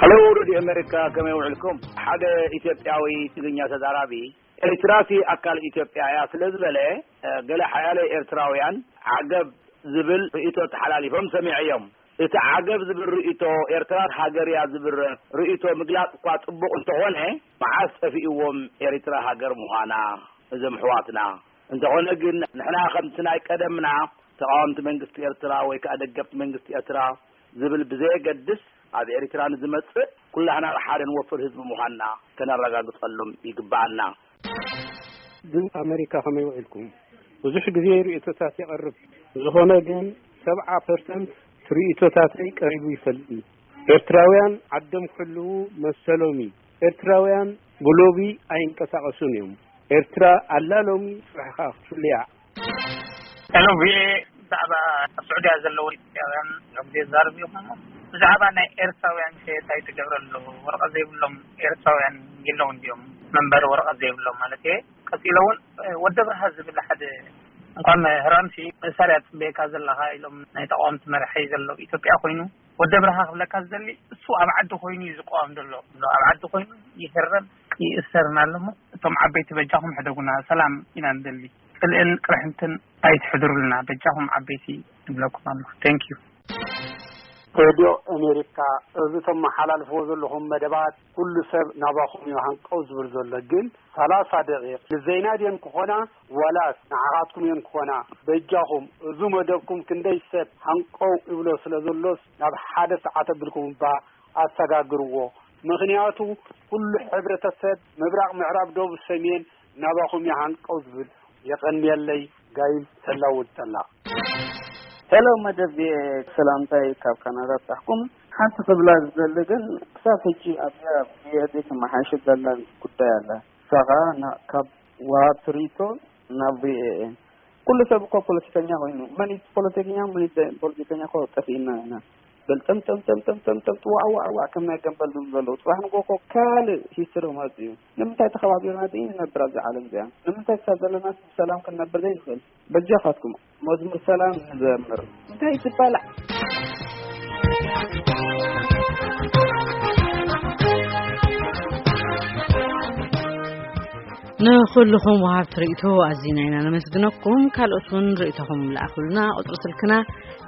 ሀሎ፣ ሬድዮ ኣሜሪካ፣ ከመይ ውዕልኩም? ሓደ ኢትዮጵያዊ ትግርኛ ተዛራቢ፣ ኤርትራሲ ኣካል ኢትዮጵያ እያ ስለ ዝበለ፣ ገለ ሓያለ ኤርትራውያን ዓገብ ዝብል ርእይቶ ተሓላሊፎም ሰሚዐዮም። እቲ ዓገብ ዝብል ርእይቶ፣ ኤርትራ ሃገር እያ ዝብል ርእይቶ ምግላጽ እኳ ጽቡቕ እንተኾነ፣ መዓስ ጠፊእዎም ኤርትራ ሃገር ምዃና እዞም ኣሕዋትና? እንተኾነ ግን፣ ንሕና ከምቲ ናይ ቀደምና ተቓወምቲ መንግስቲ ኤርትራ ወይ ከኣ ደገፍቲ መንግስቲ ኤርትራ ዝብል ብዘየገድስ፣ ኣብ ኤርትራ ንዝመጽእ ኩላህና ሓደ ንወፍር ህዝቢ ምዃንና ከነረጋግጸሎም ይግብኣና። ድምፂ ኣሜሪካ ከመይ ውዒልኩም? ብዙሕ ግዜ ርእይቶታት የቐርብ። ዝኾነ ግን፣ ሰብዓ ፐርሰንት ርእይቶታተይ ቀሪቡ ይፈልጥን። ኤርትራውያን ዓዶም ክሕልዉ መሰሎም እዩ። ኤርትራውያን ብሎቢ ኣይንቀሳቐሱን እዮም። ኤርትራ ኣላ ሎሚ፣ ጽባሕ ከኣ ክትፍልያ። ሄሎ፣ ቪኦኤ፣ ብዛዕባ ኣብ ስዑድያ ዘለዉ ኢትዮጵያውያን ብዙሕ ግዜ ይዛረቡ እዮም እሞ፣ ብዛዕባ ናይ ኤርትራውያን ከ እንታይ ትገብር ኣሎ? ወረቐት ዘይብሎም ኤርትራውያን የለውን ድዮም? መንበሪ ወረቐት ዘይብሎም ማለት እየ። ቀጺለ እውን፣ እ፣ ወዲ ኣብርሃ ዝብል ሓደ፣ እንኳን ምህራምሲ መሳርያ ትጽበየካ ዘለኻ ኢሎም ናይ ተቃወምቲ መራሒ ዘሎ ኢትዮጵያ ኮይኑ፣ ወዲ ኣብርሃ ክብለካ ዝደሊ፣ እሱ ኣብ ዓዲ ኮይኑ እዩ ዝቃወም ዘሎ። ኣብ ዓዲ ኮይኑ ይህረም ይእሰርን ኣሎ እሞ፣ እቶም ዓበይቲ በጃኹም ሕደጉና፣ ሰላም ኢና ንደሊ። ጽልእን ቅርሕንትን ኣይትሕድሩልና፣ በጃኹም ዓበይቲ ንብለኩም ኣለኹ። Thank you። ሬድዮ ኣሜሪካ፣ እዚ ተመሓላልፍዎ ዘለኹም መደባት ኩሉ ሰብ ናባኹም እዩ ሃንቀው ዝብል ዘሎ። ግን ሰላሳ ደቂቕ ንዘይና ድየን ክኾና ዋላስ ንዓኻትኩም እየን ክኾና? በጃኹም፣ እዚ መደብኩም ክንደይ ሰብ ሃንቀው ይብሎ ስለ ዘሎስ፣ ናብ ሓደ ሰዓት ኣቢልኩም እባ ኣሰጋግርዎ። ምኽንያቱ፣ ኩሉ ሕብረተሰብ፣ ምብራቕ፣ ምዕራብ፣ ደቡብ፣ ሰሜን፣ ናባኹም እዩ ሃንቀው ዝብል። የቐንየለይ። ጋይም ተላውድ ጠላ። ሄሎ፣ መደብ ሰላምታይ ካብ ካናዳ ብጻሕኩም። ሓንቲ ክብላ ዝደሊ ግን፣ ክሳብ ሕጂ ኣብዚኣ ብየእቲ ተመሓይሽ ዘላ ጉዳይ ኣላ። ንሳ ኸኣ ና-፣ ካብ ወሃብቲ ርእይቶ ናብ ቪኦኤ። ኩሉ ሰብ እኮ ፖለቲከኛ ኮይኑ፣ መን እዩ ፖለቲከኛ፣ መን እዩ ዘይ-፣ ፖለቲከኛ እኮ ጠፊእና ኢና። በል ጠም፣ ጠም፣ ጠም፣ ጠም፣ ጠም፣ ጠም፣ ዋዕ፣ ዋዕ፣ ዋዕ፣ ከም ናይ ገምበል ዝብሉ ዘለዉ። ጽባሕ ንግሆ እኮ ካልእ ሂስትሪ ክመጽእ እዩ። ንምንታይ ተኸባቢርና ዘይንነብር ኣብዛ ዓለም እዚኣ? ንምንታይ ክሳብ ዘለናስ ብሰላም ክንነብር ዘይንኽእል? በጃኻትኩም መዝሙር ሰላም ንዘምር። እንታይ ትበላዕ? ንኹልኹም ወሃብቲ ርእይቶ ኣዚና ኢና ነመስግነኩም። ካልኦት እውን ርእይቶኹም ለኣኹልና። ቁጽሪ ስልክና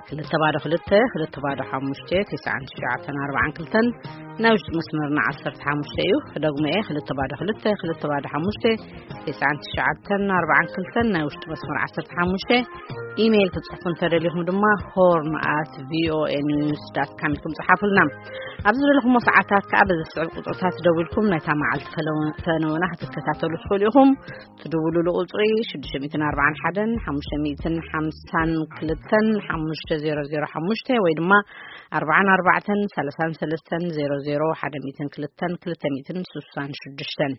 ክልተ ባዶ ክልተ፣ ክልተ ባዶ ሓሙሽተ፣ ትስዓን ትሽዓተን ኣርባዓን ክልተን፣ ናይ ውሽጢ መስመርና ዓሰርተ ሓሙሽተ እዩ። ክደግሞ እየ፣ ክልተ ባዶ ክልተ፣ ክልተ ባዶ ሓሙሽተ፣ ትስዓን ትሽዓተን ኣርባዓን ክልተን፣ ናይ ውሽጢ መስመር ዓሰርተ ሓሙሽተ። ኢሜይል ክትጽሕፉ እንተደሊኹም ድማ፣ ሆርን ኣት ቪኦኤ ኒውስ ዳት ካም ኢልኩም ጽሓፉልና። ኣብ ዝደለኹሞ ሰዓታት ከኣ በዚ ዝስዕብ ቁጽርታት ደዊልኩም ናይታ መዓልቲ ፈነወ-፣ ፈነወና ክትከታተሉ ትኽእሉ ኢኹም። ትድውሉሉ ቁጽሪ ሽዱሽተ ሚእትን ኣርባዓን ሓደን ሓሙሽተ ሚእትን ሓምሳን ክልተን ሓሙሽተ ዜሮ ዜሮ ሓሙሽተ ወይ ድማ ኣርባዓን ኣርባዕተን ሰላሳን ሰለስተን ዜሮ ዜሮ ሓደ ሚእትን ክልተን ክልተ ሚእትን ስሳን ሽዱሽተን።